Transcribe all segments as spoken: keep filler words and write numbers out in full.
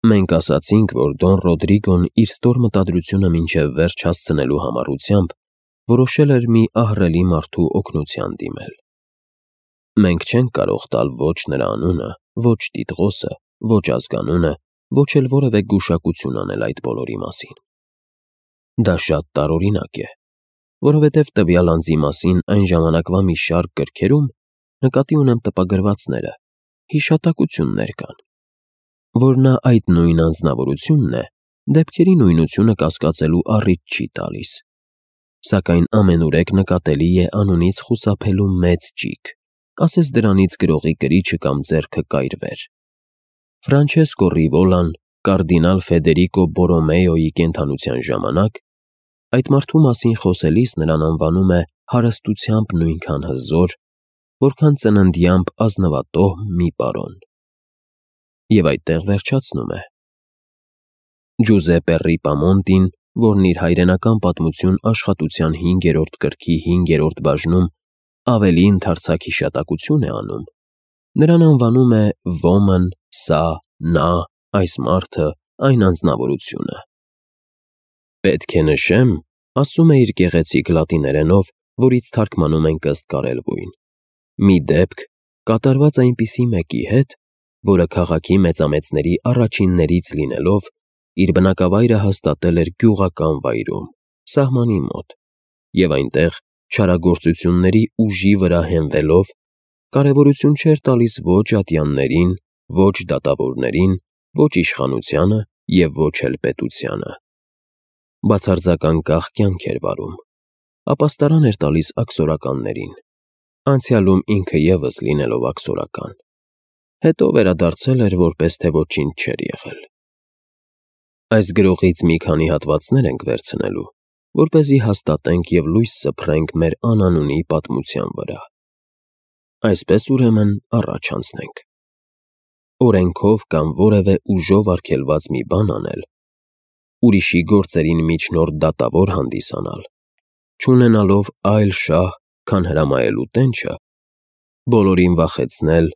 Մենք ասացինք, որ Դոն Ռոդրիգոն իր ստոր մտադրությունը մինչև վերջ հասցնելու համառությամբ որոշել էր մի ահռելի մարդու օգնության դիմել։ Մենք չենք կարող տալ ոչ նրա անունը, ոչ տիտղոսը, ոչ ազգանունը, ոչ էլ որևէ գուշակություն անել այդ բոլորի մասին։ Դա շատ տարօրինակ է, որովհետև տվյալ անձի մասին այն ժամանակվա մի շարք գրքերում, նկատի ունեմ տպագրվածները, հիշատակություններ կան, որ նա այդ նույն անձնավորությունն է, դեպքերի նույնությունը կասկածելու առիթ չի տալիս, սակայն ամենուրեք նկատելի է անունից խուսափելու մեծ ճիգ, ասես դրանից գրողի կրիչը կամ ձեռքը կայրվեր։ Ֆրանչեսկո Ռիվոլան կարդինալ Ֆեդերիկո Բորոմեոյի կենդանության ժամանակ այդ մարդու մասին խոսելիս նրան անվանում է հարստությամբ նույնքան հզոր, որքան ծննդյամբ ազնվատոհ մի պարոն։ Եվ այդտեղ վերջացնում է։ Ջուզեպպե Ռիպամոնտին, որն իր հայրենական պատմություն աշխատության հինգերորդ գրքի հինգերորդ բաժնում ավելի ընդարձակ հիշատակություն է անում, նրան անվանում է ոմն, սա, նա, այս մարդը, այն անձնավորությունը։ Պետք է նշեմ, ասում է իր գեղեցիկ լատիներենով, որից թարգմանում ենք ըստ կարելբույն, մի դեպք, կատարված այնպիսի մեկի հետ, որը քաղաքի մեծամեծների առաջիններից լինելով, իր բնակավայրը հաստատել էր գյուղական վայրում, սահմանի մոտ, և այնտեղ չարագործությունների ուժի վրա հենվելով, կարևորություն չէր տալիս ոչ ատյաններին, ոչ դատավորներին, ոչ իշխանությանը և ոչ էլ պետությանը։ Բացարձական կախ կյանք էր վարում, ապաստարան էր տալիս աքսորականներին, անցյալում ինքը ևս լինելով աքսորական, հետո վերադարձել էր, որպես թե ոչինչ չէր եղել։ Այս գրողից մի քանի հատվածներ ենք վերցնելու, որպեսզի հաստատենք և լույս սփռենք մեր անանունի պատմության վրա։ Այսպես ուրեմն առաջ անցնենք։ Օրենքով կամ որևէ ուժով արգելված մի բան անել, ուրիշի գործերին միջնորդ դատավոր հանդիսանալ, չունենալով այլ շահ, քան հրամայելու տենչը, բոլորին վախեցնել,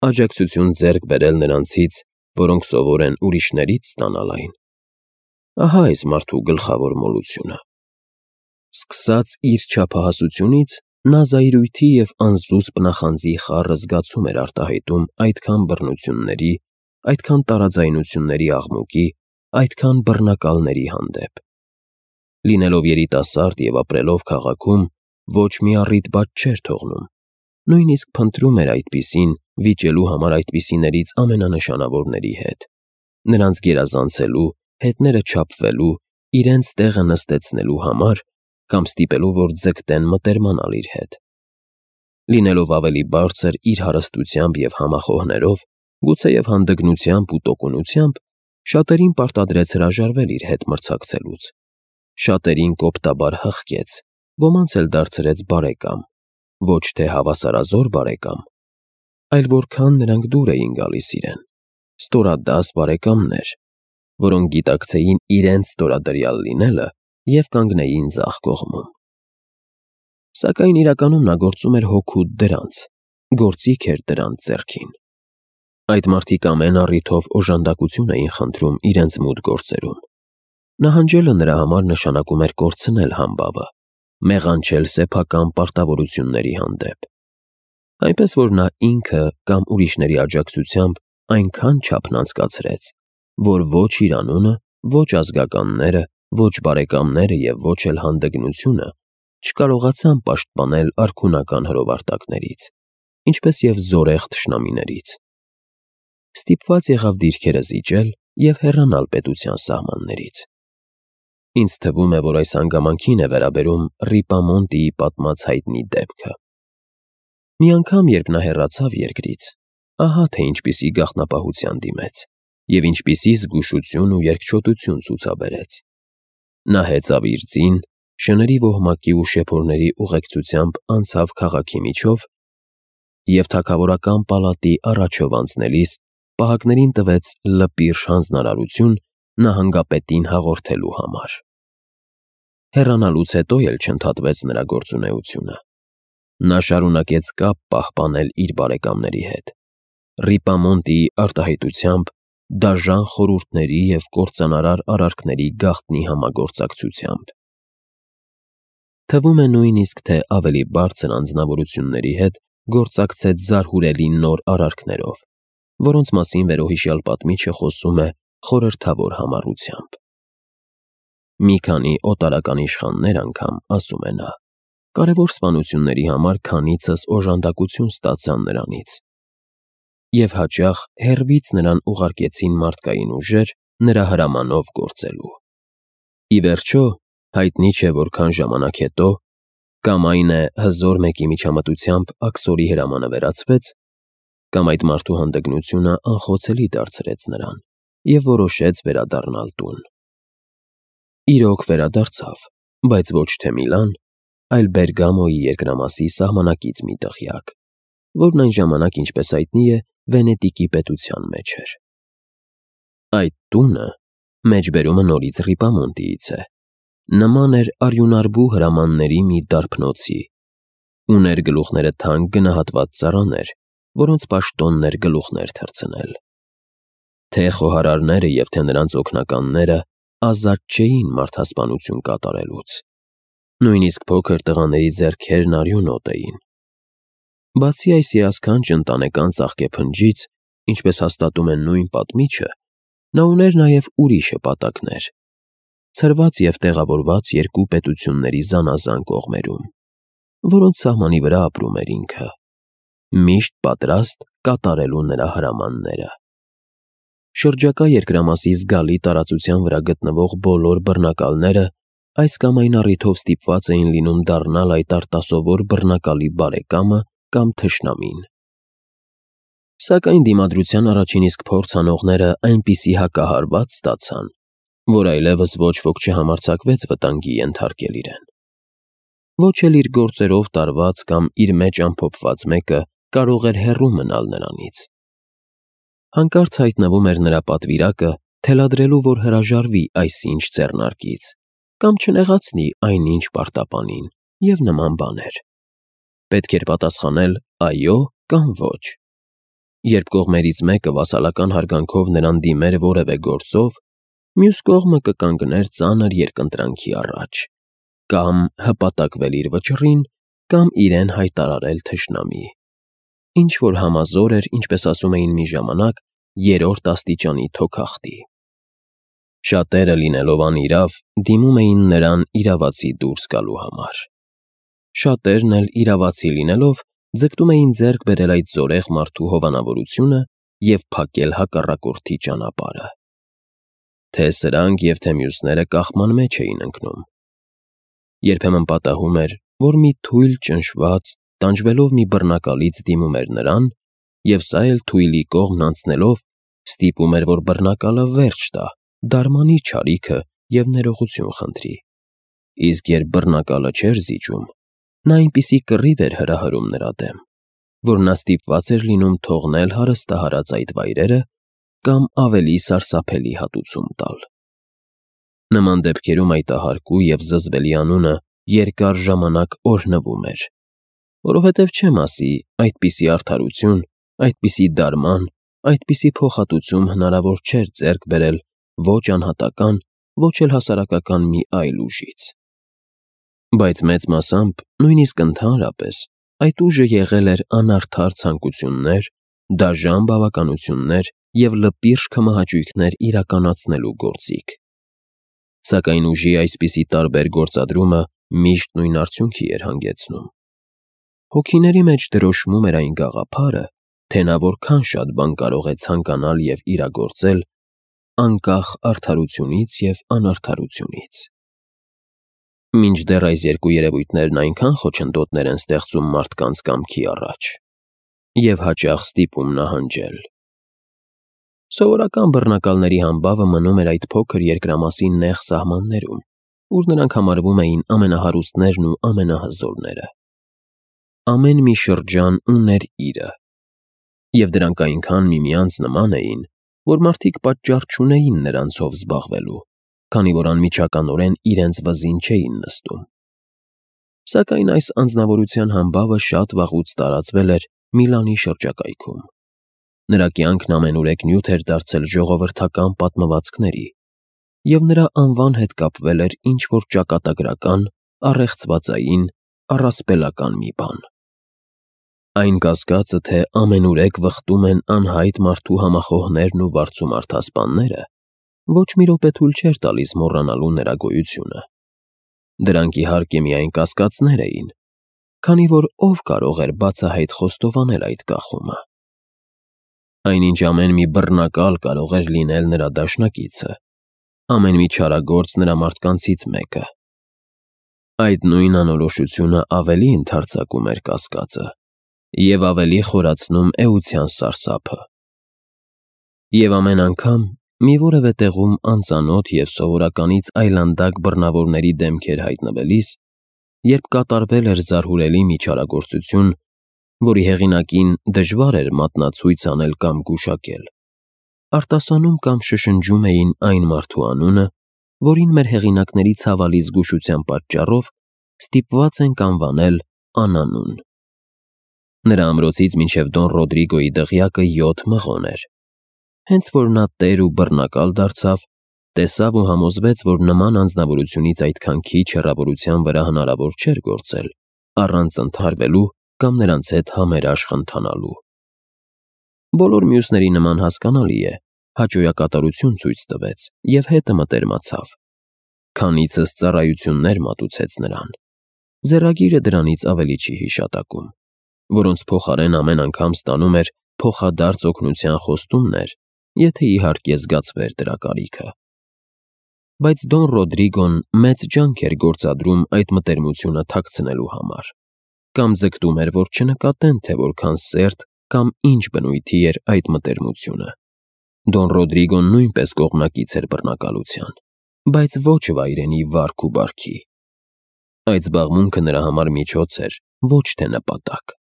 աջակցություն ձեռք բերել նրանցից, որոնք սովոր են ուրիշներից ստանալ այն։ Ահա այս մարդու գլխավոր մոլությունը։ Սկսած իր չափահասությունից, նա զայրույթի և անզուսպ նախանձի խառը զգացում էր արտահայտում այդքան բռնությունների, այդքան տարաձայնությունների աղմուկի, այդքան բռնակալների հանդեպ։ Լինելով երիտասարդ և ապրելով քաղաքում, ոչ մի առիթ բաց չէր թողնում, նույնիսկ փնտրում էր այդպիսին, վիճելու համար այդպիսիներից ամենանշանավորների հետ, նրանց գերազանցելու, հետները չափվելու, իրենց տեղը նստեցնելու համար կամ ստիպելու, որ ձգտեն մտերմանալ իր հետ։ Լինելով ավելի բարձր իր հարստությամբ և համախոհներով, գուցեև հանդգնությամբ ու տոկունությամբ, շատերին պարտադրեց հրաժարվել իր հետ մրցակցելուց, շատերին կոպտաբար հղկեց, ոմանց էլ դարձրեց բարեկամ, ոչ թե հավասարազոր բարեկամ, այլ որքան նրանք դուր էին գալիս իրեն, ստորադաս բարեկամներ, որոնք գիտակցեին իրենց ստորադրյալ լինելը և կանգնեին ձախ կողմում։ Սակայն իրականում նա գործում էր հօգուտ դրանց, գործիք էր դրանց ձեռքին։ Այդ մարդիկ ամեն առիթով օժանդակություն էին խնդրում իրենց մութ գործերում։ Նահանջելը նրա համար նշանակում էր կորցնել համբավը, մեղանչել սեփական պարտավորությունների հանդեպ։ Այնպես որ նա ինքը կամ ուրիշների աջակցությամբ այնքան չափն անցկացրեց, որ ոչ իր անունը, ոչ ազգականները, ոչ բարեկամները և ոչ էլ հանդգնությունը չկարողացան պաշտպանել արքունական հրովարտակներից, ինչպես և զորեղ թշնամիներից։ Ստիպված եղավ դիրքերը զիջել և հեռանալ պետության սահմաններից։ Ինձ թվում է, որ այս հանգամանքին է վերաբերում Ռիպամոնտիի պատմած հայտնի դեպքը։ Մի անգամ, երբ նա հեռացավ երկրից, ահա թե ինչպիսի գաղտնապահության դիմեց և ինչպիսի զգուշություն ու երկչոտություն ցուցաբերեց։ Նա հեծավ իր ձին, շների ոհմակի ու շեփորների ուղեկցությամբ անցավ քաղաքի միջով և թագավորական պալատի առաջով անցնելիս պահակներին տվեց լպիրշ հանձնարարություն նահանգապետին հաղորդելու համար։ Հեռանալուց հետո էլ չընդհատվեց նրա գործունեությունը։ Նա շարունակեց կապ պահպանել իր բարեկամների հետ։ Ռիպամոնտիի արտահայտությամբ դաժան խորհուրդների և կործանարար արարքների գաղտնի համագործակցությամբ։ Թվում է նույնիսկ, թե ավելի բարձր անձնավորությունների հետ գործակցեց զարհուրելի նոր արարքներով, որոնց մասին վերոհիշյալ պատմիչը խոսում է խորհրդավոր համառությամբ։ Մի քանի օտարական իշխաններ անգամ, ասում է նա, կարևոր սպանությունների համար քանիցս օժանդակություն ստացան նրանից, և հաճախ հեռվից նրան ուղարկեցին մարդկային ուժեր նրա հրամանով գործելու։ Ի վերջո, հայտնի չէ որքան ժամանակ հետո, կամ այն է հզոր մեկի միջամտությամբ աքսորի հրամանը վերացվեց, կամ այդ մարդու հանդգնությունը անխոցելի դարձրեց նրան և որոշեց վերադառնալ տուն։ Իրոք վերադարձավ, բայց ոչ թե Միլան, այլ Բերգամոյի երկրամասի սահմանակից մի տղյակ, որն այն ժամանակ, ինչպես հայտնի է, Վենետիկի պետության մեջ էր։ Այդ տունը, մեջբերումը նորից Ռիպամոնտիից է, նման էր արյունարբու հրամանների մի դարբնոցի, ուներ գլուխները թանկ գնահատված ծառաներ, որոնց պաշտոնն էր գլուխներ թռցնել։ Թե խոհարարները և թե նրանց օգնականները ազատ չէին մարդասպանություն կատարելուց, նույնիսկ փոքր տղաների ձեռքերն արյունոտ էին։ Բացի այս հիասքանչ ընտանեկան ծաղկեփնջից, ինչպես հաստատում է նույն պատմիչը, նա ուներ նաև ուրիշ հպատակներ, ցրված և տեղավորված երկու պետությունների զանազան կողմերում, որոնց սահմանի վրա ապրում էր ինքը, միշտ պատրաստ կատարելու նրա հրամանները։ Շրջակա երկրամասի զգալի տարածության վրա գտնվող բոլոր բռնակալները այս կամ այն առիթով ստիպված էին լինում դառնալ այդ արտասովոր բռնակալի բարեկամը կամ թշնամին։ Սակայն դիմադրության առաջին իսկ փորձ անողները այնպիսի հակահարված ստացան, որ այլևս ոչ ոք չհամարձակվեց վտանգի ենթարկել իրեն։ Ոչ էլ իր գործերով տարված կամ իր մեջ ամփոփված մեկը կարող էր հեռու մնալ նրանից։ Հանկարծ հայտնվում էր նրա պատվիրակը, թելադրելու, որ հրաժարվի այսինչ ձեռնարկից, կամ չնեղացնի այնինչ պարտապանին և նման բաներ։ Պետք էր պատասխանել այո կամ ոչ։ Երբ կողմերից մեկը վասալական հարգանքով նրան դիմեր որևէ գործով, մյուս կողմը կկանգներ ծանր երկընտրանքի առաջ, կամ հպատակվել իր վճռին, կամ իրեն հայտարարել թշնամի, ինչ-որ համազոր էր, ինչպես ասում էին մի ժամանակ, երրորդ աստիճանի թոքախտի։ Շատերը, լինելով անիրավ, դիմում էին նրան իրավացի դուրս գալու համար։ Շատերն էլ իրավացի լինելով, ձգտում էին ձեռք բերել այդ զորեղ մարդու հովանավորությունը և փակել հակառակորդի ճանապարհը։ Թե սրանք և թե մյուսները կաղման մեջ էին ընկնում։ Երբեմն պատահում էր, որ մի թույլ ճնշված, տանջվելով մի բռնակալից դիմում էր նրան, և սա էլ թույլի կողմն անցնելով, ստիպում էր, որ բռնակալը վերջ տա, դարմանի չարիքը և ներողություն խնդրի։ Իսկ երբ բռնակալը չէր զիջում, նա այնպիսի կռիվ էր հրահրում նրա դեմ, որ նա ստիպված էր լինում թողնել հարստահարած այդ վայրերը կամ ավելի սարսափելի հատուցում տալ։ Նման դեպքերում այդ ահարկու և զզվելի անունը երկար ժամանակ օրհնվում էր, որովհետև չեմ ասի, այդպիսի արդարություն, այդպիսի դարման, այդպիսի փոխհատուցում հնարավոր չէր ձեռք բերել ոչ անհատական, ոչ էլ հասարակական մի այլ ուժից։ Բայց մեծ մասամբ, նույնիսկ ընդհանրապես, այդ ուժը եղել էր անարդար ցանկություններ, դաժան բավականություններ և լպիրշ քմահաճույքներ իրականացնելու գործիք։ Սակայն ուժի այսպիսի տարբեր գործադրումը միշտ նույն արդյունքի էր հանգեցնում։ Հոգիների մեջ դրոշմում էր այն գաղափարը, թե նա որքան շատ բան կարող է ցանկանալ և իրագործել, անկախ արդարությունից և անարդարությունից։ Մինչդեռ այս երկու երևույթներն այնքան խոչընդոտներ են ստեղծում մարդկանց կամքի առաջ և հաճախ ստիպում նահանջել։ Սովորական բռնակալների համբավը մնում էր այդ փոքր երկրամասի նեղ սահմաններում, ուր նրանք համարվում էին ամենահարուստներն ու ամենահզորները։ Ամեն մի շրջան ուներ իրը, և դրանք այնքան միմյանց նման էին, որ մարդիկ պատճառ չունեին նրանցով զբաղվելու, քանի որ անմիջականորեն իրենց վզին չէին նստում։ Սակայն այս անձնավորության համբավը շատ վաղուց տարածվել էր Միլանի շրջակայքում։ Նրա կյանքն ամենուրեք նյութ էր դարձել ժողովրդական պատմվածքների, և նրա անվան հետ կապվել էր ինչ-որ ճակատագրական, առեղծվածային, առասպելական մի բան։ Այն կասկածը, թե ամենուրեք վխտում են անհայտ մարդու համախոհներն ու վարձումարտասպանները, ոչ մի րոպե թույլ չէր տալիս մոռանալու նրա գոյությունը։ Դրանք իհարկե միայն կասկածներ էին, քանի որ ով կարող էր բացահայտ խոստովանել այդ կախումը։ Այնինչ ամեն մի բռնակալ կարող էր լինել նրա դաշնակիցը, ամեն մի չարագործ նրա մարդկանցից մեկը։ Այդ նույն անորոշությունը ավելի ընդարձակում էր կասկածը և ավելի խորացնում էության սարսափը։ Եվ ամեն անգամ, մի որևէ տեղում անծանոթ և սովորականից այլանդակ բռնավորների դեմքեր հայտնվելիս, երբ կատարվել էր զարհուրելի մի չարագործություն, որի հեղինակին դժվար էր մատնացույց անել կամ գուշակել, արտասանում կամ շշնջում էին այն մարդու անունը, որին մեր հեղինակների ցավալի զգուշության պատճառով ստիպված ենք անվանել անանուն։ Նրա ամրոցից մինչև Դոն Ռոդրիգոյի դղյակը յոթ մղոն էր։ Հենց որ նա տեր ու բռնակալ դարձավ, տեսավ ու համոզվեց, որ նման անձնավորությունից այդքան քիչ հեռավորության վրա հնարավոր չէր գործել, առանց ընդհարվելու կամ նրանց հետ համերաշխ ընթանալու։ Բոլոր մյուսների նման հասկանալի է, հաճոյակատարություն ցույց տվեց և հետը մտերմացավ։ Քանիցս ծառայություններ մատուցեց նրան։ Ձեռագիրը դրանից ավելի չի հիշատակում, որոնց փոխարեն ամեն անգամ ստանում էր փոխադարձ օգնության խոստումներ, եթե իհարկե զգացվեր դրա կարիքը։ Բայց Դոն Ռոդրիգոն մեծ ջանք էր գործադրում այդ մտերմությունը թաքցնելու համար, կամ ձգտում էր, որ չնկատեն, թե որքան սերտ կամ ինչ բնույթի էր այդ մտերմությունը։ Դոն Ռոդրիգոն նույնպես կողմնակից էր բռնակալության, բայց ոչ վայրենի վարք ու բարքի։ Այդ զբաղմունքը նրա համար միջոց էր, ոչ թե նպատակ։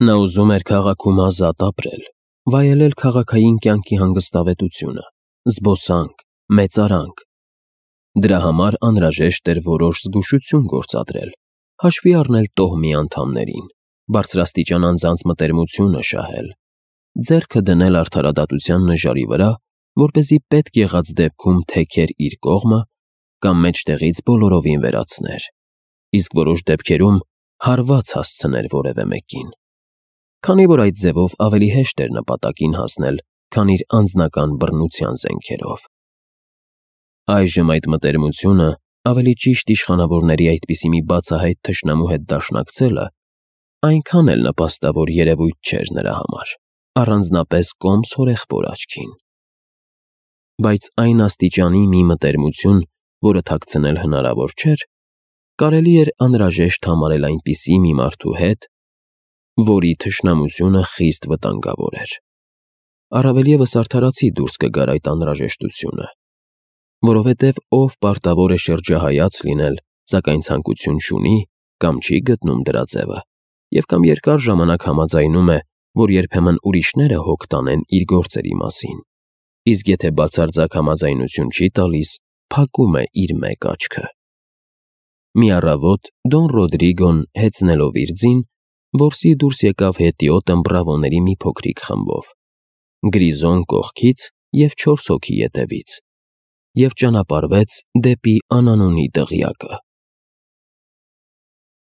Նա ուզում էր քաղաքում ազատ ապրել, վայելել քաղաքային կյանքի հանգստավետությունը, զբոսանք, մեծարանք։ Դրա համար անհրաժեշտ էր որոշ զգուշություն գործադրել, հաշվի առնել տոհմի անդամներին, բարձրաստիճան անձանց մտերմությունը շահել, ձեռքը դնել արդարադատության նժարի վրա, որպեսզի պետք եղած դեպքում թեքեր իր կողմը կամ մեջտեղից բոլորովին վերացներ, իսկ որոշ դեպքերում հարված հասցներ որևէ մեկին, քանի որ այդ ձևով ավելի հեշտ էր նպատակին հասնել, քան իր անձնական բռնության զենքերով։ Այժմ այդ մտերմությունը, ավելի ճիշտ իշխանավորների այդպիսի մի բացահայտ թշնամու հետ դաշնակցելը, այնքան էլ նպաստավոր երևույթ չէր նրա համար, առանձնապես կոմս հորեղբոր աչքին։ Բայց այն աստիճանի մի մտերմություն, որը թաքցնել հնարավոր չէր, կարելի էր անհրաժեշտ համարել այնպիսի մի մարդու հետ, որի թշնամությունը խիստ վտանգավոր էր։ Առավել ևս արդարացի դուրս կգար այդ անհրաժեշտությունը, որովհետև ով պարտավոր է շրջահայաց լինել, սակայն ցանկություն չունի կամ չի գտնում դրա ձևը, և կամ երկար ժամանակ համաձայնում է, որ երբեմն ուրիշները հոգ տանեն իր գործերի մասին, իսկ եթե բացարձակ համաձայնություն չի տալիս, փակում է իր մեկ աչքը։ Մի առավոտ Դոն Ռոդրիգոն, հեծնելով իր ձին, որսի դուրս եկավ հետիոտ ըմբռավոների մի փոքրիկ խմբով, Գրիզոն կողքից և չորս հոգի ետևից, և ճանապարհվեց դեպի անանունի դղյակը։